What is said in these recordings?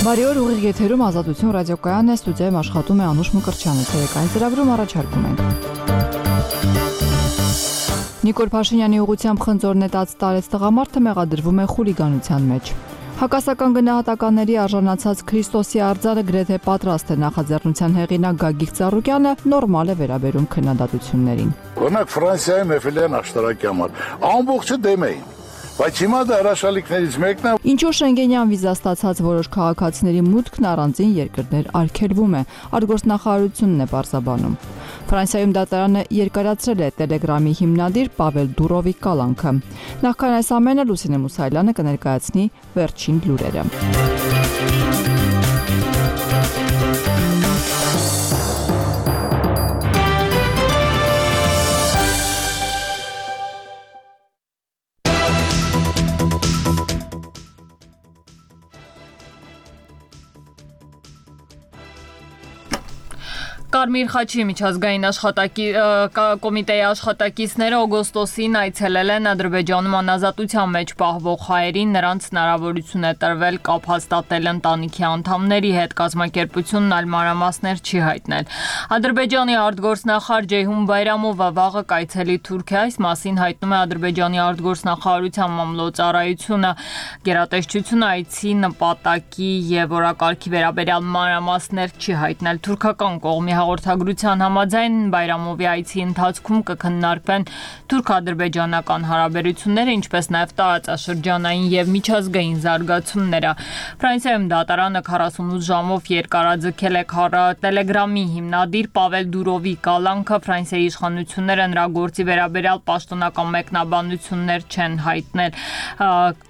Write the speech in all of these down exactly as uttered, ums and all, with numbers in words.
Բարի օր, ուղիղ եթերում Ազատություն ռադիոկայանն է, ստուդիայում աշխատում է Անուշ Մկրտչյանը, ցերեկային ծրագրում առաջարկում ենք։ Նիկոլ Փաշինյանի ուղղությամբ խնձոր նետած տարեց տղամարդը մեղադրվում է խուլիգանության մեջ։ Հակասական գնահատականների արժանացած Քրիստոսի արձանը գրեթե պատրաստ է նախաձեռնության հեղինակ Գագիկ Ծառուկյանը նորմալ է վերաբերում քննադատություններին։ Օրինակ Ֆրանսիայում Էֆելյան աշտարակի համար ամբողջը դեմ էին։ Բայց հիմա դա հրաշալիքներից մեկն է։ Ինչու Շենգենյան վիզա ստացած որոշ քաղաքացիների մուտքն առանձին երկրներ արգելվում է, արտգործնախարարությունն է պարզաբանում։ Ֆրանսիայում դատարանը երկարացրել է Տելեգրամի հիմնադիր Պավել Դուրովի կալանքը։ Նախքան այս ամենը Լուսինե Մուսայելյանը կներկայացնի վերջին լուրերը։ Կարմիր խաչի միջազգային աշխատակի կոմիտեի աշխատակիցները օգոստոսին այցելել են Ադրբեջանում անազատության մեջ պահվող հայերին, նրանց հնարավորություն է տրվել կապ հաստատել ընտանիքի անդամների հետ, կազմակերպությունն այլ մանրամասներ չի հայտնել։ Ադրբեջանի արտգործնախարար Ջեյհուն Բայրամովը վաղը կայցելի Թուրքիա, այս մասին հայտնում է Ադրբեջանի արտգործնախարարության մամլոյցարայությունը, գերատեսչությունը այցի նպատակի եւ օրակարգի վերաբերյալ մանրամասներ չի հայտնել։ Թուրքական կողմի հաղորդագրության համաձայն Բայրամովի այցի ընթացքում կքննարկվեն թուրք-ադրբեջանական հարաբերությունները, ինչպես նաև տարածաշրջանային եւ միջազգային զարգացումները։ Ֆրանսիայում դատարանը քառասունութ ժամով երկարաձգել է Տելեգրամի հիմնադիր Պավել Դուրովի կալանքը։ Ֆրանսիայի իշխանությունները նրա գործի վերաբերյալ պաշտոնական մեկնաբանություններ չեն հայտնել,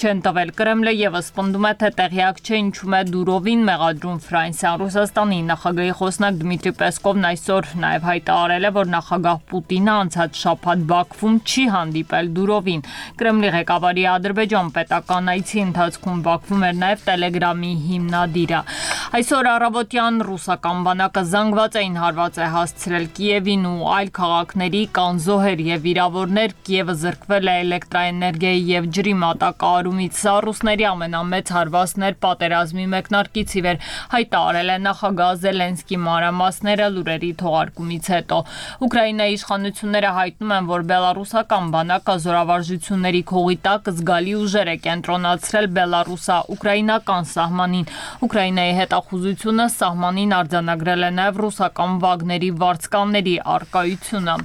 չեն տվել։ Կրեմլը եւս պնդում է, թե տեղյակ չէ ինչու է Դուրովին մեղադրում Ֆրանսիան։ Ռուսաստանի նախագահի խոսնակ Դմիտրի Պեսկովն այսօր նաև հայտարարել է, որ նախագահ Պուտինը անցած շաբաթ Բաքվում չի հանդիպել Դուրովին։ Կրեմլի ղեկավարի Ադրբեջան պետական այցի ընթացքում Բաքվում էր նաև Տելեգրամի հիմնադիրը։ Այսօր առավոտյան ռուսական բանակը զանգվածային հարված է հասցրել Կիևին ու այլ քաղաքների կան զոհեր եւ վիրավորներ։ Կիևը զրկվել է էլեկտրաէներգիայի եւ ջրի մատակարարումից։ Սա ռուսների ամենամեծ հարվածն էր պատերազմի մեկնարկից ի վեր, հայտարարել է նախագահ Զելենսկի մանրամասները լուրերի թողարկումից հետո։ Ուկրաինայի իշխանությունները հայտնում են, որ բելարուսական բանակը զորավարժությունների քողի տակ զգալի ուժեր է կենտրոնացրել բելարուսա-ուկրաինական սահմանին։ Ուկրաինայի հետախուզությունը սահմանին արձանագրել է նաև ռուսական վագների վարձկանների առկայությունը։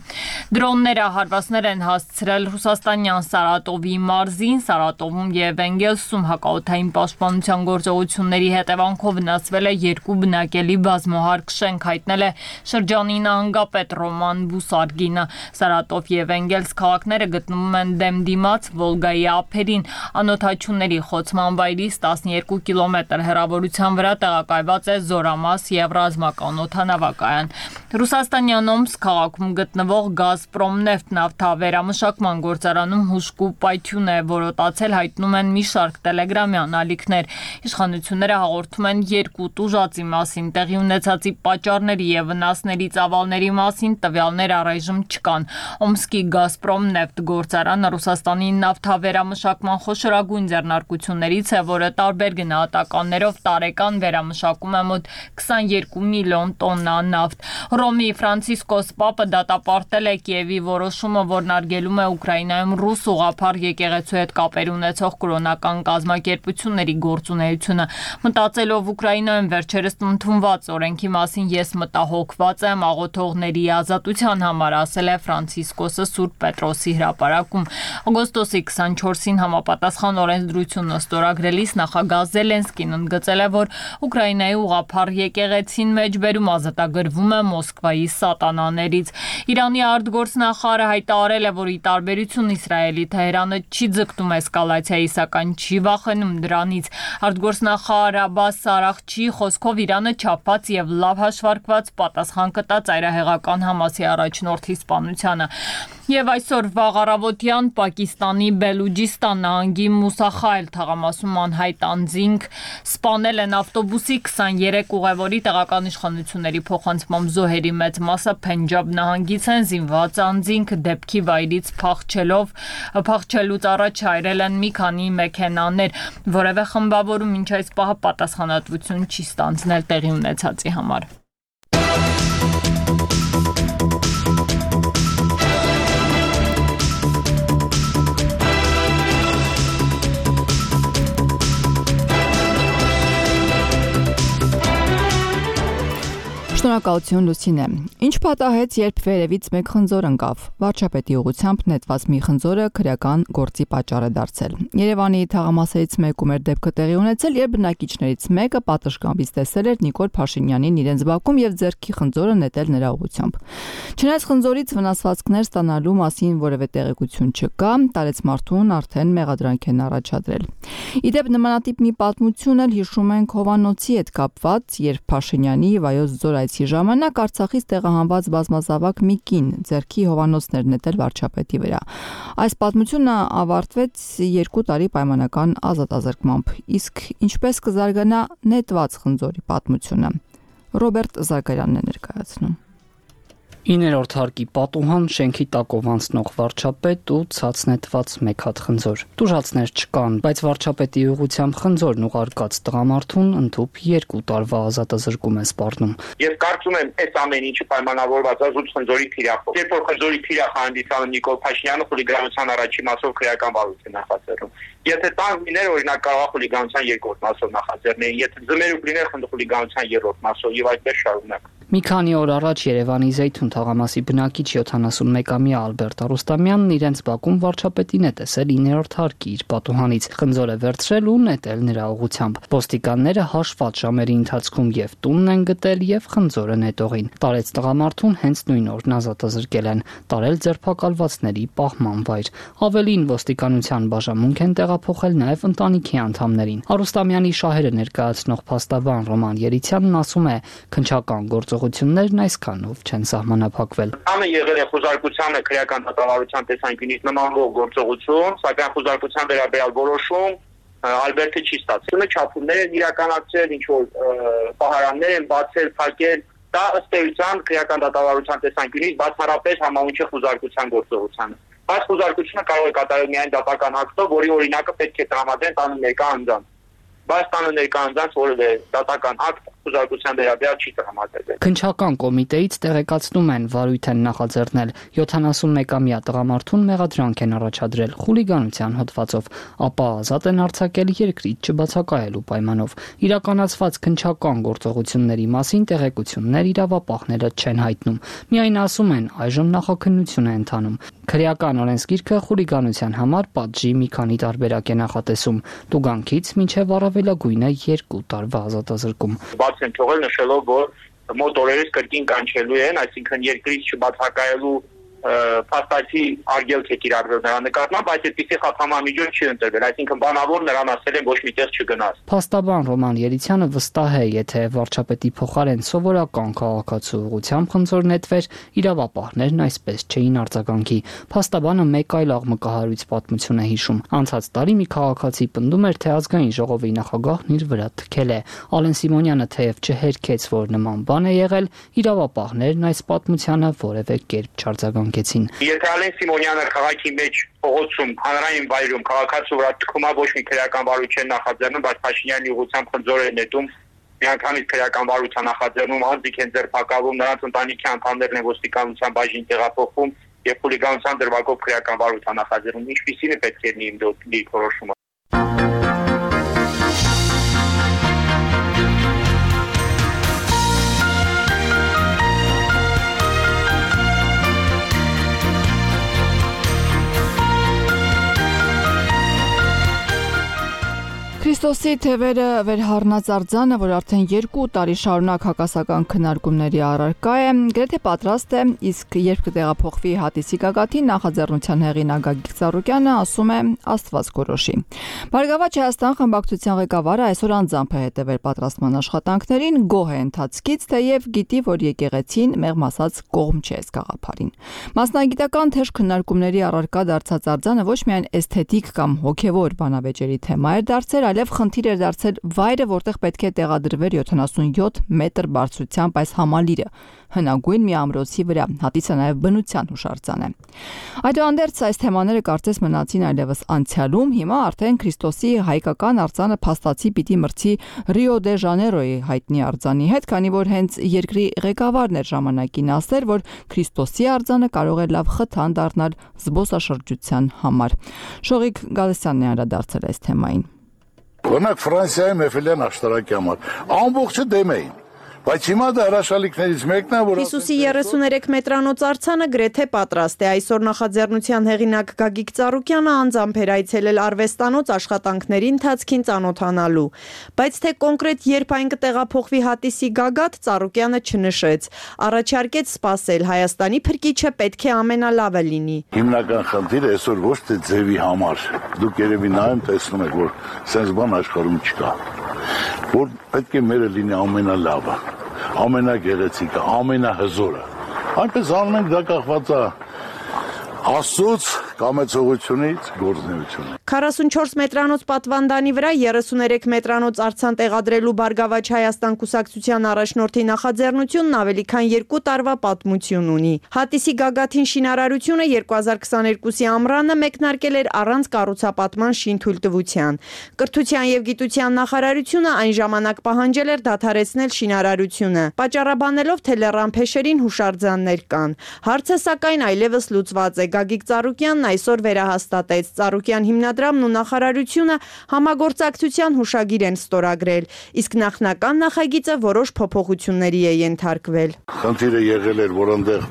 Դրոնները հարվածներ են հասցրել ռուսաստանյան Սարատովի մարզին, Սարատովում եւ Էնգելսում հակաօդային պաշտպանության գործողությունների հետևանքով վնասվել է երկու բնակելի բազմահարկ շենք, հայտնել է շրջանի նահանգապետ Ռոման Բուսարգինը։ Սարատով եւ Էնգելս քաղաքները գտնվում են դեմ դիմաց Վոլգայի ափերին։ Անօդաչուների խոցման վայրից տասնյոթ կիլոմետր հեռավորության վրա տեղակայված է զորամաս եւ ռազմական օդանավակայան։ Ռուսաստանյան Օմսկ քաղաքում գտնվող Գազպրոմնեֆտ նավթավերամշակման գործարանում հուժկու պայթյուն է որոտացել, հայտնում են մի շարք տելեգրամյան ալիքներ։ Իշխանությունները հաղորդում են երկու տուժածի մասին, տեղի ունեցածի պատճառների եւ վնասների ծավալների մասին տվյալներ առայժմ չկան։ Օմսկի Գազպրոմնեֆտ գործարանը Ռուսաստանի նավթավերամշակման խոշորագույն ձեռնարկություններից է, որը տարբեր գնահատականներով տարեկան վերամշակում է մոտ քսաներկու միլիոն տոննա նավթ։ Ռոմի Ֆրանցիսկոս Պապը դատապարտել է Կիևի որոշումը, որն արգելում է Ուկրաինայում ռուս ուղղափառ եկեղեցու հետ կապեր ունեցող կրոնական կազմակերպությունների գործունեությունը։ Մտածելով Ուկրաինայում վերջերս ընդունված օրենքի մասին ես մտահոգված եմ աղոթողների ազատության համար, ասել է Ֆրանցիսկոսը Սուրբ Պետրոսի հրապարակում։ Օգոստոսի քսանչորսին համապատասխան օրենսդրությունը ստորագրելիս նախագահ Զելենսկին ընդգծել է, որ Ուկրաինայի ուղղափառ եկեղեցին մեջբերում ազատագրվում է Մոսկվայի սատանաներից։ Իրանի արտգործնախարարը հայտարարել է, որ ի տարբերություն Իսրայելի, Թեհրանը չի ձգտում էսկալացիայի, սակայն չի վախենում դրանից։ Արտգործնախարար Աբբաս Արաղչիի խոսքով Իրանը չափված եւ լավ հաշվարկված պատասխան կտա ծայրահեղական Համասի առաջնորդի սպանությանը։ Եվ այսօր վաղ առավոտյան Պակիստանի Բելուջիստան նահանգի Մուսախայլ թաղամասում անհայտ անձինք սպանել են ավտոբուսի քսաներեք ուղևորի տեղական իշխանությունների փոխանցմամբ զոհերի մեծ մասը Փենջաբ նահանգից են զինված անձինք դեպքի վայրից փախչելով փախչելուց առաջ հայրել են մի քանի մեքենաներ, որևէ խմբավորում մինչ այս պահը պատասխանատվություն չի ստանձնել տեղի ունեցածի համար։ Շնորհակալություն Լուսինե։ Ինչ պատահեց, երբ վերևից մեկ խնձոր ընկավ։ Վարչապետի ուղղությամբ նետված մի խնձորը քրեական գործի պատճառ է դարձել։ Երևանի թաղամասերից մեկում էր դեպքը տեղի ունեցել, երբ բնակիչներից մեկը պատշգամբից տեսել էր Նիկոլ Փաշինյանին իրենց բակում եւ ձեռքի խնձորը նետել նրա ուղղությամբ։ Չնայած խնձորից վնասվածքներ ստանալու մասին որևէ տեղեկություն չկա, տարեց մարդուն արդեն մեղադրանք են առաջադրել։ Իդեպ նմանատիպ մի պատմություն էլ հիշում ենք Հովանոցի հետ կապված, երբ Փաշինյանի Վայոց ձոր ժամանակ Արցախից տեղահանված բազմազավակ մի կին ձեռքի հովանոցներ նետել վարչապետի վրա։ Այս պատմությունը ավարտվեց երկու տարի պայմանական ազատազրկմամբ։ Իսկ ինչպես կզարգանա նետված խնձորի պատմությունը։ Ռոբերտ Զարգարյանն է ներկայացնում։ իններորդ հարկի պատուհան, շենքի տակով անցնող վարչապետ ու ցած նետված մեկ հատ խնձոր։ Տուժածներ չկան, բայց վարչապետի ուղղությամբ խնձորն ուղարկած տղամարդուն ընդհուպ երկու տարվա ազատազրկում է սպառնում։ Ես կարծում եմ, այս ամեն ինչը պայմանավորված է զուտ խնձորի թիրախով։ Երբ որ խնձորի թիրախը հանդիսանում Նիկոլ Փաշինյանը, խուլիգանության առաջին մասով քրեական վարույթ է նախաձեռնում։ Եթե տանկ լիներ, օրինակ կարող է խուլիգանության երկրորդ մասով նախաձեռնել, եթե ձմերուկ լիներ խուլիգանության երրորդ մասով եւ այդպես շարունակ։ Մի քանի օր առաջ Երևանի Զեյթուն թաղամասի բնակիչ յոթանասունմեկամյա Ալբերտ Արուստամյանն իրենց բակում վարչապետին է տեսել իններորդ հարկի իր պատուհանից, խնձոր է վերցրել ու նետել նրա ուղղությամբ։ Ոստիկանները հաշված ժամերի ընթացքում եւ տունն են գտել եւ խնձորը նետողին։ Տարեց տղամարդուն հենց նույն օրն ազատազրկել են, տարել ձերբակալվածների պահման վայր։ Ավելին, ոստիկանության բաժանմունք են տեղափոխել նաեւ ընտանիքի անդամներին։ Արուստամյանի շահերը ներկայացնող փաստաբան Ռոման Երիցյանն ասում է, քննչական գործողություններն այսքանով չեն սահմանափակվել։ Անը եղել է խոզարկությանը քրեական դատավարության տեսանկյունից նմանվող գործողություն, սակայն խոզարկության վերաբերյալ որոշում Ալբերտը չի ստացել։ Չափումներ են իրականացրել, ինչ որ պահարաններ են բացել, փակել, դա ըստ էության քրեական դատավարության տեսանկյունից բացառապես համահունչ է խոզարկության գործողությանը։ Բայց խոզարկությունը կարող է կատարել միայն դատական ակտով, որի օրինակը պետք է տրամադրեն տանը ներկա անձանց։ Բայց տանը ներկա անձանց որևէ դատական ակտ խոզարկության վերաբերյալ չի տրամադրվել։ Քննչական կոմիտեից տեղեկացնում են, վարույթ են նախաձեռնել յոթանասունմեկամյա տղամարդուն մեղադրանք են առաջադրել խուլիգանության հոդվածով, ապա ազատ են արձակել երկրից չբացակայելու պայմանով։ Իրականացված քննչական գործողությունների մասին տեղեկություններ իրավապահները չեն հայտնում։ Միայն ասում են, այժմ նախաքննություն է ընթանում։ Քրեական օրենսգիրքը խուլիգանության համար պատժի մի քանի տարբերակ է նախատեսում՝ տուգանքից մինչև առավելագույնը երկու տարվա ազատազրկում։ Բաց են թողել նշելով, որ մոտ օրերից կրկին կանչելու են, այսինքն երկրից չբացակայելու փաստացի արգելք է կիրառվել նրա նկատմամբ, բայց այդպիսի խափամամիջոց չի ընտրվել, այսինքն բանավոր նրան ասել են ոչ մի տեղ չգնաս։ Փաստաբան Ռոման Երիցյանը վստահ է, եթե վարչապետի փոխարեն սովորական քաղաքացու ուղղությամբ խնձոր նետվեր, իրավապահներն այսպես չէին արձագանքի։ Փաստաբանը մեկ այլ աղմկահարույց պատմություն է հիշում։ Անցած տարի մի քաղաքացի պնդում էր, թե ազգային ժողովի նախագահն իր վրա թքել է։ Ալեն Սիմոնյանը թեև չհերքեց, որ նման բան է եղել, իրավապահներն այս պատմությանը որևէ կերպ չարձագանքեցին։ Եթե Ալեն Սիմոնյանը քաղաքի մեջ փողոցում, հանրային վայրում քաղաքացու վրա թքումա ոչ մի քրեական վարույթ չեն նախաձեռնում, բայց Փաշինյանի ուղղությամբ խնձոր է նետում, միանգամից քրեական վարույթ է նախաձեռնում, անձիկ են ձերբակալվում, նրանց ընտանիքի անդամներն են ոստիկանության բաժին տեղափոխվում եւ խուլիգանության դրվագով քրեական վարույթ է նախաձեռնում։ Ինչպիսին է պետք է լինի իմ դիրքորոշումը։ Քրիստոսի թևերը վերհառնած արձանը, որ արդեն երկու տարի շարունակ հակասական քննարկումների առարկա է, գրեթե պատրաստ է, իսկ երբ կտեղափոխվի հատիսի գագաթին, նախաձեռնության հեղինակ Գագիկ Ծառուկյանը ասում է Աստված կորոշի։ Բարգավաճ Հայաստան խմբակցության ղեկավարը այսօր անձամբ է հետևել պատրաստման աշխատանքներին, գոհ է ընթացքից, թեև գիտի, որ եկեղեցին մեղմ ասած կողմ չէ այս գաղափարին։ Մասնագիտական թեժ քննարկումների առարկա դարձած արձանը ոչ միայն էսթետիկ կամ հոգևոր բանավեճերի թեմա էր դարձել, այլև խնդիր էր դարձել վայրը, որտեղ պետք է տեղադրվեր յոթանասունյոթ մետր բարձրությամբ այս համալիրը, հնագույն մի ամրոցի վրա, հատիսը նաև բնության հուշարձան է։ Այդուհանդերձ այս թեմաները կարծես մնացին այլևս անցյալում, հիմա արդեն Քրիստոսի հայկական արձանը փաստացի պիտի մրցի Ռիո դե Ժանեյրոյի հայտնի արձանի հետ, քանի որ հենց երկրի ղեկավարն էր ժամանակին ասել, որ Քրիստոսի արձանը կարող է լավ խթան դառնալ զբոսաշրջության համար։ Շողիկ Գալստյանն է անդրադարձել այս թեմային։ Օրինակ Ֆրանսիայում Էֆելյան աշտարակի համար ամբողջը դեմ էին, բայց հիմա դա հրաշալիքներից մեկն է, որ Հիսուսի երեսուներեք մետրանոց արձանը գրեթե պատրաստ է։ Այսօր նախաձեռնության հեղինակ Գագիկ Ծառուկյանը անձամբ էր այցելել արվեստանոց աշխատանքների ընթացքին ծանոթանալու, բայց թե կոնկրետ երբ այն կտեղափոխվի հատիսի գագաթ, Ծառուկյանը չնշեց։ Առաջարկեց սպասել, Հայաստանի փրկիչը պետք է ամենալավը լինի։ Հիմնական խնդիրը այսօր ոչ թե ձևի համար, դուք երևի նայում տեսնում եք, որ սենց բան աշխարհում չկա, որ պետք է մերը լինի ամենալավը, ամենագեղեցիկը, ամենահզորը։ Այնպես անում ենք, դա կախված է Աստծուց, կամեցողությունից, գործունեությունից։ քառասունչորս մետրանոց պատվանդանի վրա երեսուներեք մետրանոց արձան տեղադրելու Բարգավաճ Հայաստան կուսակցության առաջնորդի նախաձեռնությունն ավելի քան երկու տարվա պատմություն ունի։ Հատիսի գագաթին շինարարությունը երկու հազար քսաներկուսի ամռանը մեկնարկել էր առանց կառուցապատման շինթույլտվության։ Կրթության եւ գիտության նախարարությունը այն ժամանակ պահանջել էր դադարեցնել շինարարությունը, պատճառաբանելով, թե լեռնափեշերին հուշարձաններ կան։ Հարցը սակայն այլևս լուծված է։ Գագիկ Ծառուկյանն այսօր վերահաստատեց, Ծառուկյան հիմնադրամն ու նախարարությունը համագործակցության հուշագիր են ստորագրել, իսկ նախնական նախագիծը որոշ փոփոխությունների է ենթարկվել։ Խնդիրը եղել էր, որ այնտեղ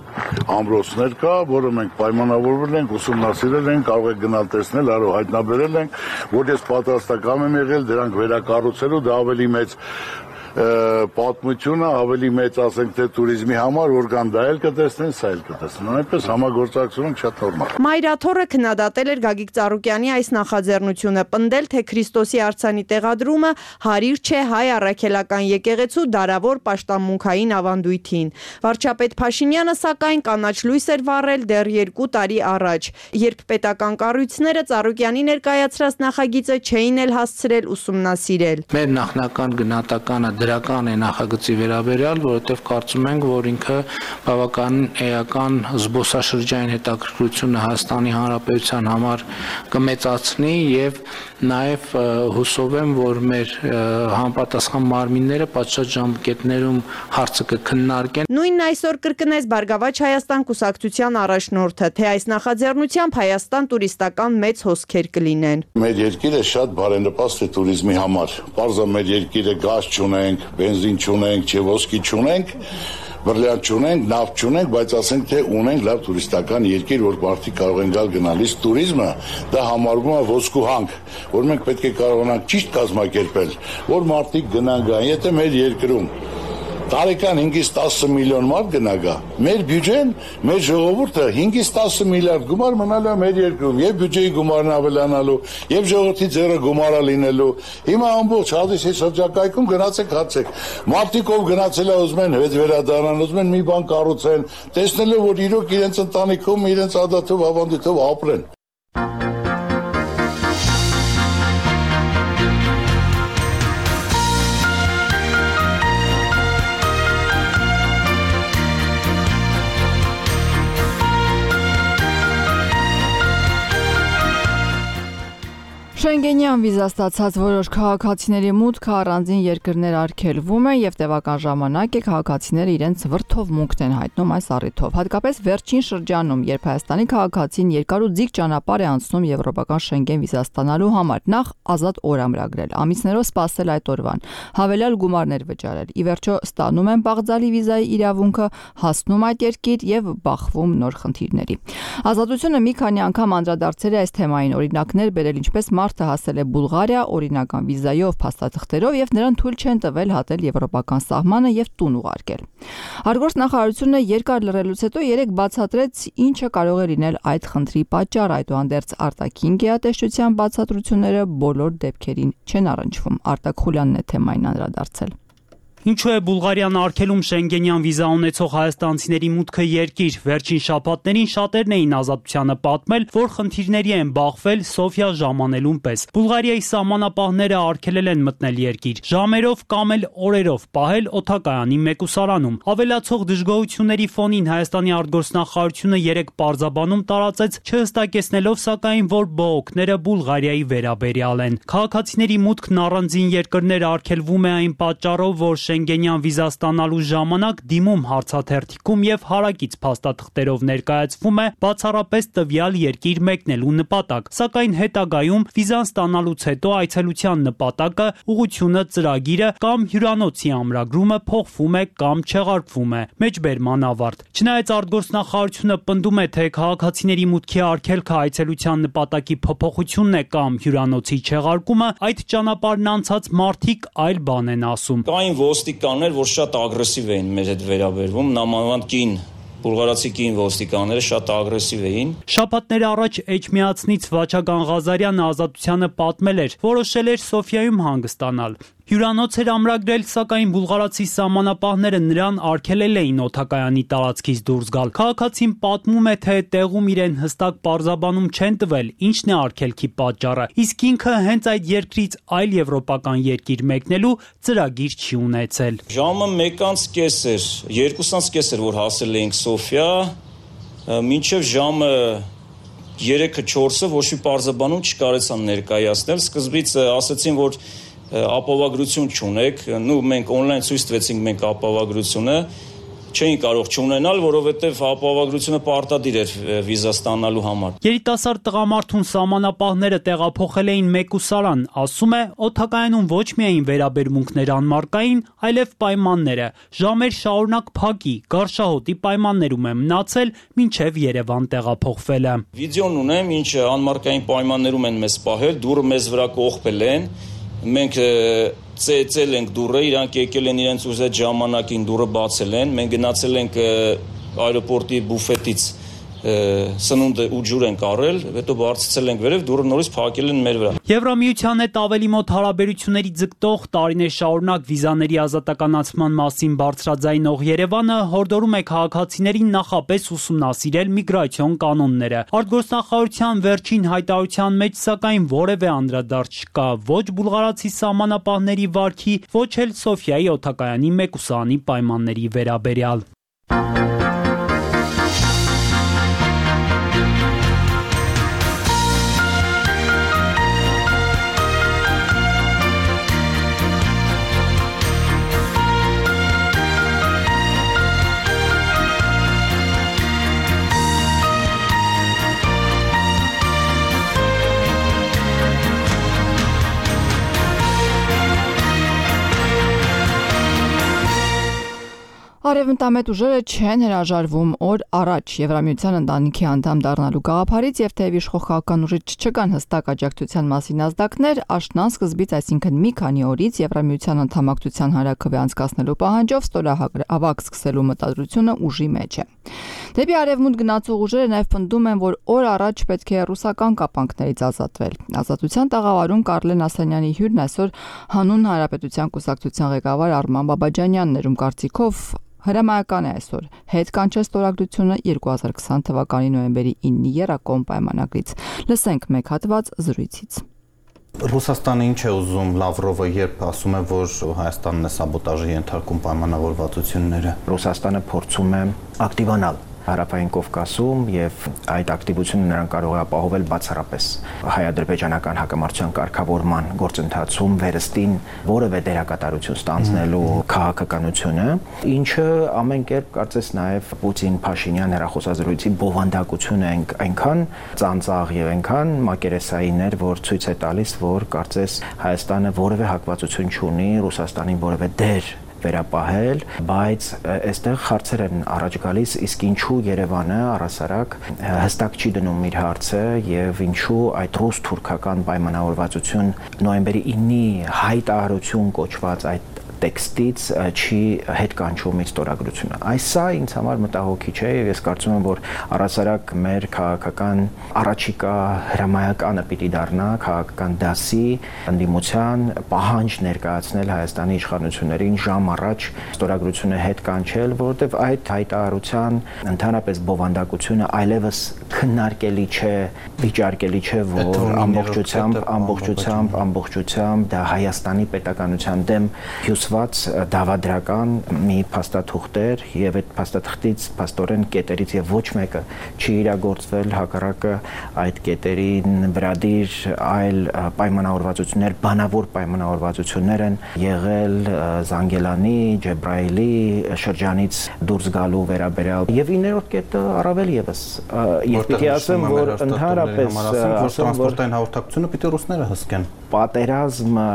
ամրոցներ կա, որը մենք պայմանավորվել ենք, ուսումնասիրել ենք, կարող եք գնալ տեսնել, արո հայտնաբերել ենք, որ ես պատրաստական եմ եղել դրանք վերակառուցելու, դա ավելի մեծ պատմությունը, ավելի մեծ ասենք թե туриզմի համար, որ կան դա էլ կտեսնեն, սա էլ կտեսնեն։ Այնպես համագործակցությունը շատ նորմալ։ Մայրաթորը քննադատել էր Գագիկ Ծառուկյանի այս նախաձեռնությունը, պնդել, թե Քրիստոսի արձանի տեղադրումը հարիր չէ հայ առաքելական եկեղեցու դարավոր պաշտամունքային ավանդույթին։ Վարչապետ Փաշինյանը սակայն կանաչ լույս էր վառել դեռ երկու տարի առաջ, երբ պետական կառույցները Ծառուկյանի ներկայացրած նախագիծը չէին էլ հասցրել ուսումնասիրել։ Մեր նախնական գնահատականը դրական է նախագծի վերաբերյալ, որովհետև կարծում ենք, որ ինքը բավական էական զբոսաշրջային հետաքրքրությունը Հայաստանի Հանրապետության համար կմեծացնի եւ նաեւ հուսով եմ, որ մեր համապատասխան մարմինները պատշաճ ժամկետներում հարցը կքննարկեն։ Նույնն այսօր կրկնեց Բարգավաճ Հայաստան կուսակցության առաջնորդը, թե այս նախաձեռնությամբ Հայաստան տուրիստական մեծ հոսքեր կլինեն։ Մեր երկիրը շատ բարենպաստ է туриզմի համար։ Պարզա մեր երկիրը գազ չունենք, բենզին չունենք, չէ ոսկի չունենք, բրլյան չունենք, նավթ չունենք, բայց ասենք թե ունենք լավ տուրիստական երկիր, որ մարդիկ կարող են գալ գնալիս туриզմը, դա համարվում է ոսկու հանք, որ մենք պետք է կարողանանք ճիշտ կազմակերպել, որ մարդիկ գնան գան, եթե մեր երկրում տարեկան հինգից տասը միլիոն մարդ գնագա, մեր բյուջեն, մեր ժողովուրդը հինգից տասը միլիարդ գումար մնալու է մեր երկրում, եւ բյուջեի գումարն ավելանալու, եւ ժողովրդի ձեռը գումարա լինելու։ Հիմա ամբողջ հատիսի շրջակայքում գնացեք հացեք։ Մարդիկ ով գնացել է ուզում են հետ վերադառնան, ուզում են մի բան կառուցեն, տեսնելով որ իրոք իրենց ընտանիքում, իրենց ադաթով, ավանդույթով ապրեն։ Շենգենյան վիզա ստացած որոշ քաղաքացիների մուտքը առանձին երկրներ արգելվում է եւ տևական ժամանակ է քաղաքացիները իրենց վրթով մուտքն են հայտնում այս առիթով։ Հատկապես վերջին շրջանում, երբ Հայաստանի քաղաքացին երկար ու ձիգ ճանապարհ է անցնում եվրոպական Շենգեն վիզա ստանալու համար, նախ ազատ օր ամրագրել, ամիսներով սպասել այդ օրվան, հավելյալ գումարներ վճարել, ի վերջո ստանում են բաղձալի վիզայի իրավունքը, հասնում այդ երկիր եւ բախվում նոր խնդիրների։ Ազատությունը մի քանի անգամ անդրադարձել է այս թեմային, օրինակներ բերել ինչպես մարդը հասել է Բուլղարիա օրինական վիզայով, փաստաթղթերով եւ նրան թույլ չեն տվել հատել եվրոպական սահմանը եւ տուն ուղարկել։ Արտգործնախարարությունը երկար լռելուց հետո երեք բացատրեց ինչը կարող է լինել այդ խնդրի պատճառը, այդուհանդերձ արտաքին գերատեսչության բացատրությունները բոլոր դեպքերին չեն առնչվում։ Արտակ Խուլյանն է թեմային անդրադարձել։ Ինչու է Բուլղարիան արգելում շենգենյան վիզա ունեցող հայաստանցիների մուտքը երկիր։ Վերջին շաբաթներին շատերն էին Ազատությանը պատմել, որ խնդիրների են բախվել Սոֆիա ժամանելուն պես։ Բուլղարիայի սահմանապահները արգելել են մտնել երկիր, ժամերով կամ էլ օրերով պահել օդակայանի մեկուսարանում։ Ավելացող դժգոհությունների ֆոնին Հայաստանի արտգործնախարարությունը երեք պարզաբանում տարածեց, չհստակեցնելով սակայն, որ բողոքները Բուլղարիայի վերաբերյալ են։ Քաղաքացիների մուտքն առանձին երկրներ արգելվում է այն պատճառով, որ Շենգենյան վիզա ստանալու ժամանակ դիմում հարցաթերթիկում եւ հարակից փաստաթղթերով ներկայացվում է բացառապես տվյալ երկիր մեկնելու նպատակ, սակայն հետագայում վիզան ստանալուց հետո այցելության նպատակը, ուղղությունը, ծրագիրը կամ հյուրանոցի ամրագրումը փոխվում է կամ չեղարկվում է։ Մեջբերման ավարտ։ Չնայած արտգործնախարարությունը պնդում է, թե քաղաքացիների մուտքի արգելքը այցելության նպատակի փոփոխությունն է կամ հյուրանոցի չեղարկումը, այդ ճանապարհն անցած մարդիկ այլ բան են ասում։ Ոստիկաններ, որ շատ ագրեսիվ էին մեր հետ վերաբերվում, նամանավանդ կին բուլղարացի կին ոստիկանները շատ ագրեսիվ էին։ Շաբաթներ առաջ Էջմիածնից Վաչագան Ղազարյանը Ազատությանը պատմել էր, որոշել էր Սոֆիայում հանգստանալ։ Հյուրանոց էր ամրագրել, սակայն բուլղարացի սահմանապահները նրան արգելել էին օդակայանի տարածքից դուրս գալ։ Քաղաքացին պատմում է, թե տեղում իրեն հստակ պարզաբանում չեն տվել, ինչն է արգելքի պատճառը, իսկ ինքը հենց այդ երկրից այլ եվրոպական երկիր մեկնելու ծրագիր չի ունեցել։ Ժամը մեկից կես էր, երկուսից կես էր, որ հասել էինք Սոֆիա, մինչև ժամը երեքը չորսը ոչ մի պարզաբանում չկարեցան ներկայացնել։ Սկզբից ասացին, որ ապավագրություն չունեք, նու մենք on-line ցույց տվեցինք մենք ապավագրությունը, չէին կարող չունենալ, որովհետև ապավագրությունը պարտադիր էր վիզա ստանալու համար։ Երիտասարդ տղամարդուն սահմանապահները տեղափոխել էին մեկուսարան, ասում է, օդակայանում ոչ միայն վերաբերմունքներ անմարկային, այլև պայմանները։ Ժամեր շարունակ փակի, Գարշահոտի պայմաններում է մնացել, մինչև Երևան տեղափոխվելը։ Վիդեոն ունեմ, ինչը անմարկային պայմաններում են մեզ պահել, դուրը մեզ վրա կողպել են։ Մենք ծեծել ենք դուրը, իրանք եկել են իրենց ուզած ժամանակին դուրը բացել են, մենք գնացել ենք այրոպորտի բուֆետից սնունդ ու ջուր ենք առել, հետո բարձրացել ենք վերև, դուրը նորից փակել են մեր վրա։ Եվրամիության հետ ավելի մոտ հարաբերությունների ձգտող տարիներ շարունակ վիզաների ազատականացման մասին բարձրաձայնող Երևանը հորդորում է քաղաքացիներին նախապես ուսումնասիրել միգրացիոն կանոնները։ Արտգործնախարարության վերջին հայտարարության մեջ սակայն որևէ անդրադարձ չկա ոչ բուլղարացի սահմանապահների վարքի, ոչ էլ Սոֆիայի օդակայանի մեկուսարանի պայմանների վերաբերյալ։ Արևմտամետ ուժերը չեն հրաժարվում օր առաջ Եվրամիության ընտանիքի անդամ դառնալու գաղափարից եւ թեև իշխող քաղաքական ուժից չկան հստակ աջակցության մասին ազդակներ, աշնան սկզբից, այսինքն մի քանի օրից Եվրամիության անդամակցության հանրաքվե անցկացնելու պահանջով ստորահավաք սկսելու մտադրությունը ուժի մեջ է։ Դեպի արևմուտք գնացող ուժերը նաեւ պնդում են, որ օր առաջ պետք է ռուսական կապանքներից ազատվել։ Ազատության տաղավարում Կարլեն Ասանյանի հյուրն այսօր Հանուն Հանրապետության կուսակցության ղեկավար Արման Բաբաջանյանն էր, ում կարծիքով հրամայական է այսօր հետ կանչել ստորագրությունը երկու հազար քսան թվականի նոյեմբերի ինը եռակողմ պայմանագրից։ Լսենք մեկ հատված զրույցից։ Ռուսաստանը ինչ է ուզում Լավրովը, երբ ասում է, որ Հայաստանն է սաբոտաժի ենթարկում պայմանավորվածությունները։ Ռուսաստանը փորձում է ակտիվանալ Հարավային Կովկասում եւ այդ ակտիվությունը նրան կարող է ապահովել բացառապես հայ-ադրբեջանական հակամարտության կարգավորման գործընթացում վերստին որևէ դերակատարություն ստանձնելու քաղաքականությունը, ինչը ամեն կերպ կարծես նաեւ Պուտին-Փաշինյան հեռախոսազրույցի բովանդակությունը այնքան ծանծաղ եւ այնքան մակերեսային էր, որ ցույց է տալիս, որ կարծես Հայաստանը որևէ հակվածություն չունի Ռուսաստանին որևէ դեր վերապահել, բայց այստեղ հարցեր են առաջ գալիս, իսկ ինչու Երևանը առասարակ հստակ չի դնում իր հարցը եւ ինչու այդ ռուս-թուրքական պայմանավորվածություն նոյեմբերի ինի հայտարարություն կոչված այդ տեքստից չի հետ կանչում իր ստորագրությունը։ Այս սա ինձ համար մտահոգիչ է եւ ես կարծում եմ, որ առասարակ մեր քաղաքական առաջիկա հրամայականը պիտի դառնա քաղաքական դասի ընդդիմության պահանջ ներկայացնել Հայաստանի իշխանություններին ժամ առաջ ստորագրությունը հետ կանչել, որովհետեւ այդ հայտարարության ընդհանրապես բովանդակությունը այլևս քննարկելի չէ, վիճարկելի չէ, որ ամբողջությամբ, ամբողջությամբ, ամբողջությամբ դա Հայաստանի պետականության դեմ հյուսված դավադրական մի փաստաթուղթ էր եւ այդ փաստաթղթից փաստորեն կետերից եւ ոչ մեկը չի իրագործվել, հակառակը այդ կետերին վրադիր այլ պայմանավորվածություններ, բանավոր պայմանավորվածություններ են եղել Զանգելանի, Ջեբրայելի շրջանից դուրս գալու վերաբերյալ եւ իններորդ կետը առավել եւս եւ պիտի ասեմ, որ ընդհանրապես տրանսպորտային հաղորդակցությունը պիտի ռուսները հսկեն։ Պատերազմը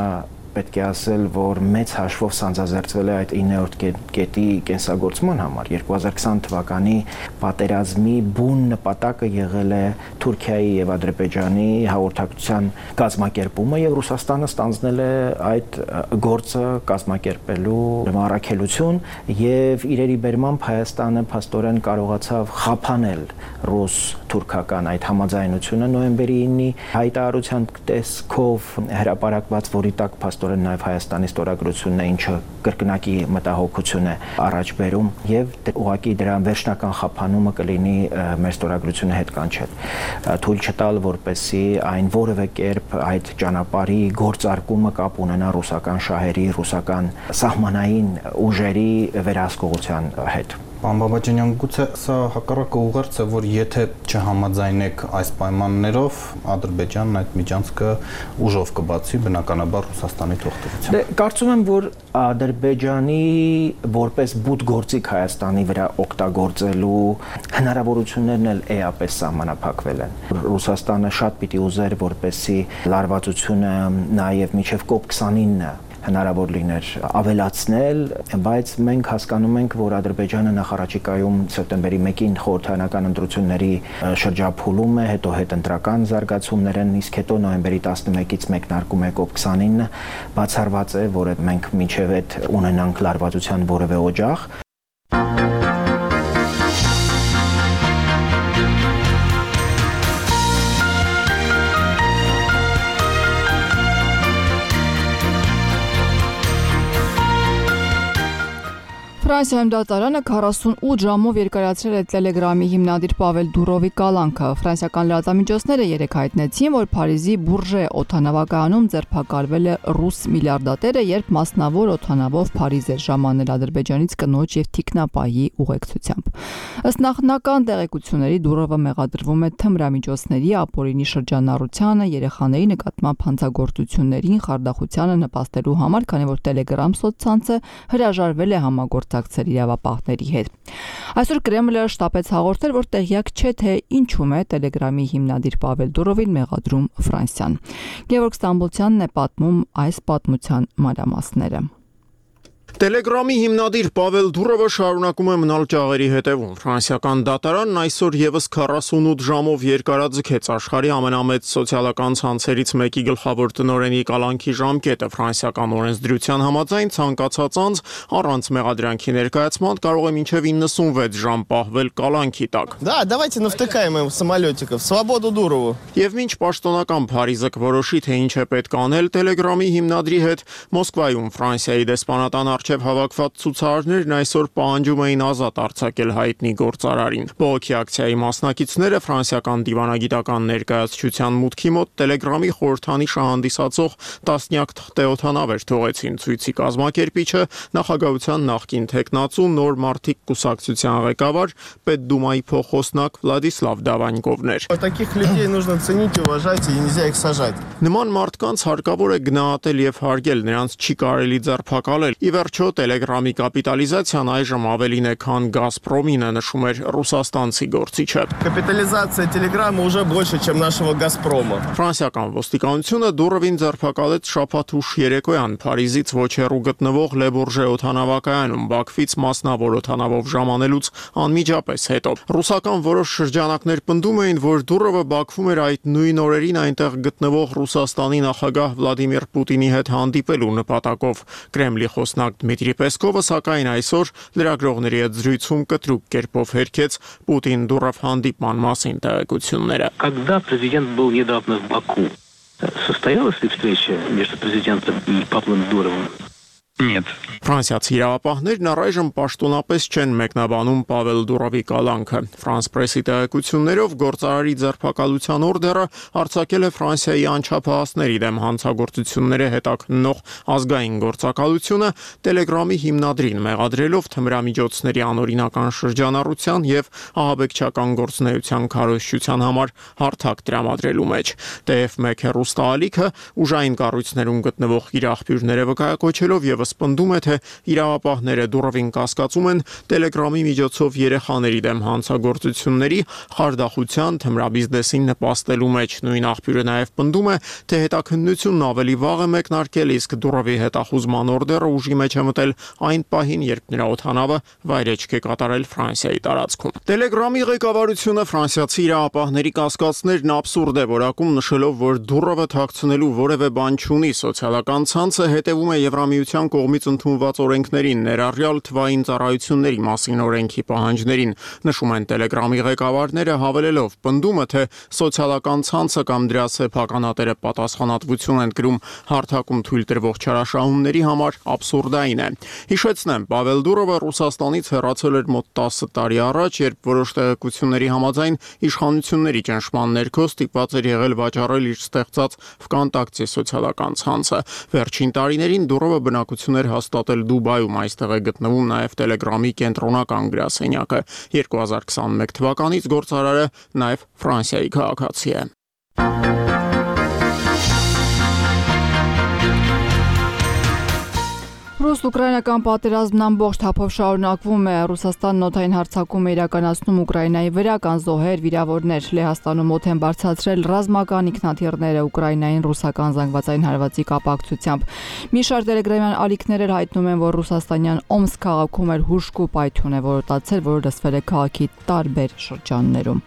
պետք է ասել, որ մեծ հաշվով սանձազերծվել է այդ իններորդ կետի կենսագործման համար։ երկու հազար քսան թվականի պատերազմի բուն նպատակը եղել է Թուրքիայի եւ Ադրբեջանի հաղորդակցության կազմակերպումը եւ Ռուսաստանը ստանձնել է այդ գործը կազմակերպելու առաքելություն եւ իրերի բերմամբ Հայաստանը փաստորեն կարողացավ խափանել ռուս-թուրքական այդ համաձայնությունը նոյեմբերի ինի հայտարարության տեսքով հրապարակված, որի տակ փաստորեն նաև Հայաստանի ստորագրությունն է, ինչը կրկնակի մտահոգություն է առաջ բերում եւ ուղղակի դրա վերջնական խափանումը կլինի մեր ստորագրությունը հետ կանչել։ Թույլ չտալ, որպեսզի այն որևէ կերպ այդ ճանապարհի գործարկումը կապ ունենա ռուսական շահերի, ռուսական սահմանային ուժերի վերահսկողության հետ։ Պարոն Բաբաջանյան, գուցե սա հակառակը ուղերձ է, որ եթե չհամաձայնեք այս պայմաններով, Ադրբեջանն այդ միջանցքը ուժով կբացի, բնականաբար Ռուսաստանի թողտվությամբ։ Դե կարծում եմ, որ Ադրբեջանի որպես բութ գործիք Հայաստանի վրա օգտագործելու հնարավորություններն էլ էապես սահմանափակվել են։ Ռուսաստանը շատ պիտի ուզեր, որպեսզի լարվածությունը նաև մինչև կոպ քսանինը հնարավոր լիներ ավելացնել, բայց մենք հասկանում ենք, որ Ադրբեջանը նախարարչիկայում սեպտեմբերի մեկին խորհրդարանական ընտրությունների շրջափուլում է, հետո հետընտրական զարգացումներ են, իսկ հետո նոյեմբերի տասնմեկից մեկնարկում է կոպ քսանինը, բացառված է, որ մենք մինչև այդ ունենանք լարվածության որևէ օջախ։ Ֆրանսիայում դատարանը քառասունութ ժամով երկարացրել է Տելեգրամի հիմնադիր Պավել Դուրովի կալանքը։ Ֆրանսիական լրատվամիջոցները երեկ հայտնեցին, որ Փարիզի Բուրժե օդանավակայանում ձերբակալվել է ռուս միլիարդատերը, երբ մասնավոր օդանավով Փարիզ էր ժամանել Ադրբեջանից կնոջ եւ թիկնապահի ուղեկցությամբ։ Ըստ նախնական տեղեկությունների Դուրովը մեղադրվում է թմրամիջոցների, ապօրինի շրջանառությանը, երեխաների նկատմամբ հանցագործություններին, խարդախությանը նպաստելու համար, քանի որ Telegram սոցցանցը հրաժարվել է համագործակցել իրավապահների հետ։ Այսօր Կրեմլը շտապեց հաղորդել, որ տեղյակ չէ, թե ինչում է Telegram-ի հիմնադիր Պավել Դուրովին մեղադրում Ֆրանսիան։ Գևորգ Ստամբոլցյանն է պատմում այս պատմության մանրամասները։ Տելեգրամի հիմնադիր Պավել Դուրովը շարունակում է մնալ ճաղերի հետևում։ Ֆրանսիական դատարանն այսօր եւս քառասունութ ժամով երկարաձգեց աշխարհի ամենամեծ սոցիալական ցանցերից մեկի գլխավոր տնօրենի կալանքի ժամկետը։ Ֆրանսիական օրենսդրության համաձայն ցանկացած անձ առանց մեղադրանքի ներկայացման կարող է մինչև իննսունվեց ժամ պահվել կալանքի տակ։ Да, давайте навтыкаем им самолетиков. Свободу Дурову. Եվ մինչ պաշտոնական Փարիզը կորոշի, թե ինչ է պետք անել Տելեգրամի հիմնադրի հետ, Մոսկվայում Ֆրանսիայի դեսպանատան առջև հավաքված ցուցարարներն այսօր պահանջում էին ազատ արձակել հայտնի գործարարին։ Բողոքի ակցիայի մասնակիցները ֆրանսիական դիվանագիտական ներկայացչության մուտքի մոտ Տելեգրամի խորհրդանիշը հանդիսացող տասնյակ թղթեօթանավեր թողեցին։ Ցույցի կազմակերպիչը նախագահության նախկին թեկնածու նոր մարդիկ կուսակցության ղեկավար Պետդումայի փոխոսնակ Վլադիսլավ Դավանյկովն էր։ Таких людей нужно ценить, уважать и нельзя их сажать։ Նման մարդկանց հարկավոր է գնահատել եւ հարգել, նրանց չի կարելի ձերբակալել։ Ի վերջո վերջո Telegram-ի կապիտալիզացիան այժմ ավելին է, քան Gazprom-ին, նշում էր ռուսաստանցի գործիչը։ Капитализация Телеграма уже больше, чем нашего Газпрома. Ֆրանսիական ոստիկանությունը դուրովին ձերբակալեց շաբաթ ուշ երեկոյան Փարիզից ոչ հեռու գտնվող Le Bourget օդանավակայանում Բաքվից մասնավոր օդանավով ժամանելուց անմիջապես հետո։ Ռուսական որոշ շրջանակներ պնդում էին, որ դուրովը Բաքվում էր այդ նույն օրերին այնտեղ գտնվող Ռուսաստանի նախագահ Վլադիմիր Պուտինի հետ հանդիպելու նպատակով։ Կրեմլի խոսնակ Դմիտրի Պեսկովը սակայն այսօր լրագրողների հետ զրույցում կտրուկ կերպով հերքեց Պուտին-Դուրով հանդիպման մասին տեղեկությունները։ Когда президент был недавно в Баку, состоялась ли встреча между президентом и Павлом Дуровым? Нет. Ֆրանսիացի իրավապահներն առայժմ պաշտոնապես չեն մեկնաբանում Պավել Դուրովի կալանքը։ Ֆրանս պրեսի տեղեկություններով գործարարի ձերբակալության օրդերը արձակել է Ֆրանսիայի անչափահասների դեմ հանցագործությունները հետաքննող ազգային գործակալությունը Telegram-ի հիմնադրին մեղադրելով թմրամիջոցների անօրինական շրջանառության եւ ահաբեկչական գործունեության քարոզչության համար հարթակ տրամադրելու մեջ։ Թեև մեկ հեռուստաալիքը ուժային կառույցներում գտնվող իր աղբյուրները վկայակոչելով եւ պնդում է, թե իրավապահները Դուրովին կասկածում են Telegram-ի միջոցով երեխաների դեմ հանցագործությունների, խարդախության, թմրաբիզնեսին նպաստելու մեջ։ Նույն աղբյուրը նաև պնդում է, թե հետաքննությունն ավելի վաղ է մեկնարկել, իսկ Դուրովի հետախուզման օրդերը ուժի մեջ է մտել այն պահին, երբ նրա օդանավը վայրեջք է կատարել Ֆրանսիայի տարածքում։ Telegram-ի ղեկավարությունը ֆրանսիացի իրավապահների կասկածներն աբսուրդ է որակում, նշելով, որ Դուրովը թաքցնելու որևէ բան չունի։ Սոցիալական ցանցը հետևում է Եվրամիության կողմից ընդունված օրենքներին, ներառյալ թվային ծառայությունների մասին օրենքի պահանջներին, նշում են Telegram-ի ղեկավարները, հավելելով պնդումը, թե սոցիալական ցանցը կամ դրա սեփականատերը պատասխանատվություն են կրում հարթակում թույլ տրվող չարաշահումների համար, աբսուրդային է։ Հիշեցնեմ, Պավել Դուրովը Ռուսաստանից հեռացել էր մոտ տասը տարի առաջ, երբ որոշ տեղեկությունների համաձայն իշխանությունների ճնշման ներքո ստիպված էր եղել վաճառել իր ստեղծած Վկանտակտի սոցիալական ցանցը։ Վերջին տարիներին Դուրովը բնակություն էր հաստատել Դուբայում, այստեղ է գտնվում նաև Telegram-ի կենտրոնական գրասենյակը։ երկու հազար քսաներկու թվականից գործարարը նաև Ֆրանսիայի քաղաքացի է։ Ռուս-ուկրաինական պատերազմն ամբողջ թափով շարունակվում է։ Ռուսաստանն օդային հարձակում է իրականացնում Ուկրաինայի վրա, կան զոհեր, վիրավորներ։ Լեհաստանում օդ են բարձրացրել ռազմական ինքնաթիռները Ուկրաինային ռուսական զանգվածային հարվածի կապակցությամբ։ Մի շարք տելեգրամյան ալիքներ հայտնում են, որ ռուսաստանյան Օմսկ քաղաքում էր հուժկու պայթյուն է որոտացել, որը լսվել է քաղաքի տարբեր շրջաններում։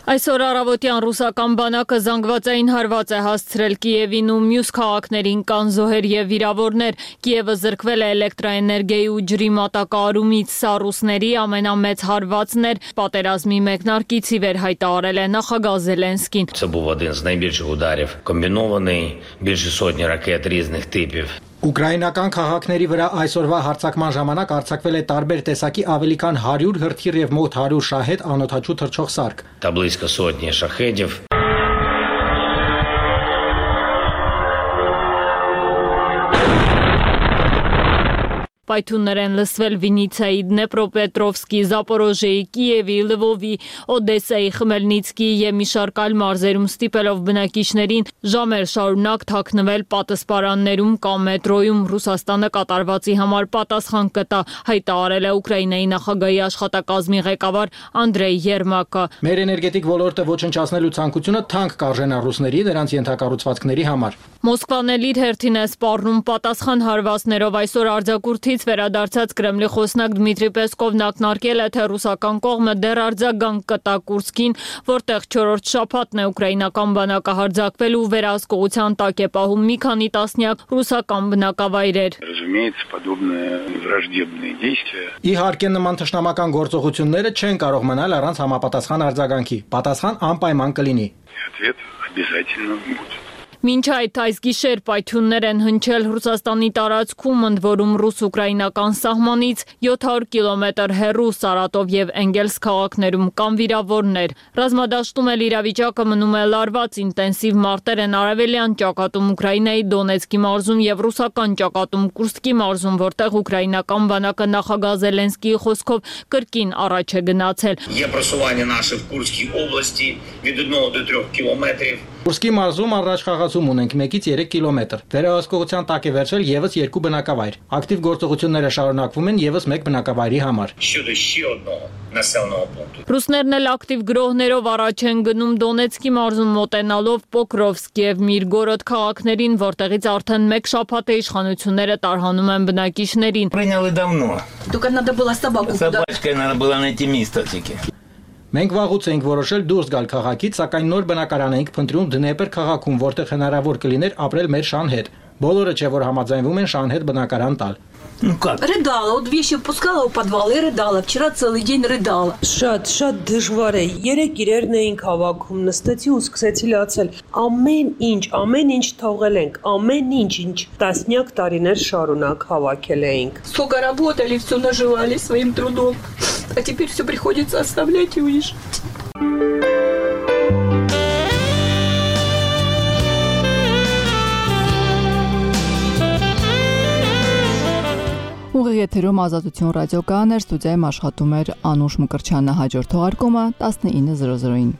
Այսօր առավոտյան ռուսական բանակը զանգվածային հարված է հասցրել Կիևին ու մյուս քաղաքներին, կան զոհեր եւ վիրավորներ։ Կիևը զրկվել է էլեկտրաէներգիայի ու ջրի մատակարարումից, սա ռուսների ամենամեծ հարվածն էր, պատերազմի մեկնարկից ի վեր հայտարարել է նախագահ Զելենսկին։ Це був один з найбільших ударів, комбінований, більше сотні ракет різних типів. Ուկրաինական քաղաքների վրա այսօրվա հարձակման ժամանակ արձակվել է տարբեր տեսակի ավելի քան հարյուր հրթիռ եւ մոտ հարյուր շահեդ անօդաչու թռչող սարք։ Та близько сотні шахедів. Պայթյուններ են լսվել Վինիցիայի, Դնեպրոպետրովսկի, Զապորոժեի, Կիևի, Լվովի, Օդեսայի, Խմելնիցկի եւ մի շարք այլ մարզերում ստիպելով բնակիչներին ժամեր շարունակ թաքնվել պատասպարաններում կամ մետրոյում։ Ռուսաստանը կատարվածի համար պատասխան կտա, հայտարարել է Ուկրաինայի նախագահի աշխատակազմի ղեկավար Անդրեյ Երմակը։ Մեր էներգետիկ ոլորտը ոչնչացնելու ցանկությունը թանկ կարժենա ռուսների դրանց ենթակառուցվածքների համար։ Մոսկվան էլ իր հերթին է սպառնում պատասխան հարվածներով։ Այսօր արձակուրդից վերադարձած Կրեմլի խոսնակ Դմիտրի Պեսկովն ակնարկել է, թե ռուսական կողմը դեռ արձագանք կտա Կուրսկին, որտեղ չորրորդ շաբաթն է ուկրաինական բանակը հարձակվել ու վերահսկողության տակ է պահում մի քանի տասնյակ ռուսական բնակավայրեր։ Իհարկե նման թշնամական գործողությունները չեն կարող մնալ առանց համապատասխան արձագանքի։ Պատասխան անպայման կլինի։ Մինչ այդ այս գիշեր պայթյուններ են հնչել Ռուսաստանի տարածքում, ընդ որում ռուս-ուկրաինական սահմանից յոթ հարյուր կիլոմետր հեռու Սարատով եւ Էնգելս քաղաքներում կան վիրավորներ։ Ռազմադաշտում էլ իրավիճակը մնում է լարված, ինտենսիվ մարտեր են արևելյան ճակատում Ուկրաինայի Դոնեցկի մարզում եւ ռուսական ճակատում Կուրսկի մարզում, որտեղ ուկրաինական բանակը նախագահ Զելենսկիի խոսքով կրկին առաջ է գնացել։ Є просування наше в Курській області від одного до трьох кілометрів. Կուրսկի մարզում առաջ խաղացում ունենք մեկից երեք կիլոմետր։ Վերահսկողության տակ է վերցրել եւս երկու բնակավայր։ Ակտիվ գործողությունները շարունակվում են եւս մեկ բնակավայրի համար։ Ռուսներն էլ ակտիվ գրոհներով առաջ են գնում Դոնեցկի մարզում մոտենալով Պոկրովսկ եւ Միրգորոդ քաղաքներին, որտեղից արդեն մեկ շաբաթ է իշխանությունները տարհանում են բնակիչներին։ Только надо было собаку. Собачкой надо было найти место таки. Մենք վաղուց էինք որոշել դուրս գալ քաղաքից, сакայն նոր բնակարան էինք փնտրում Դնեպր քաղաքում, որտեղ հնարավոր կլիներ ապրել մեր շան հետ։ Բոլորը չէ որ համաձայնվում են շան հետ բնակարան տալ։ Ну как? Рыдала, вот вещи впускала в подвал и рыдала. Вчера целый день рыдала. Շատ, շատ դժվար է։ Երեք իրերն էինք հավաքում, նստեցի ու սկսեցի լացել։ Ամեն ինչ, ամեն ինչ թողել ենք, ամեն ինչ, ինչ տասնյակ տարիներ շարունակ հավաքել էինք։ Сколько работали, все наживали своим трудом. А теперь все приходится оставлять и уезжать. Ուղիղ եթերում Ազատություն ռադիոկայաններ, ստուդիայում աշխատում էր Անուշ Մկրտչյանը, հաջորդ թողարկումը տասնինը զրո զրոին։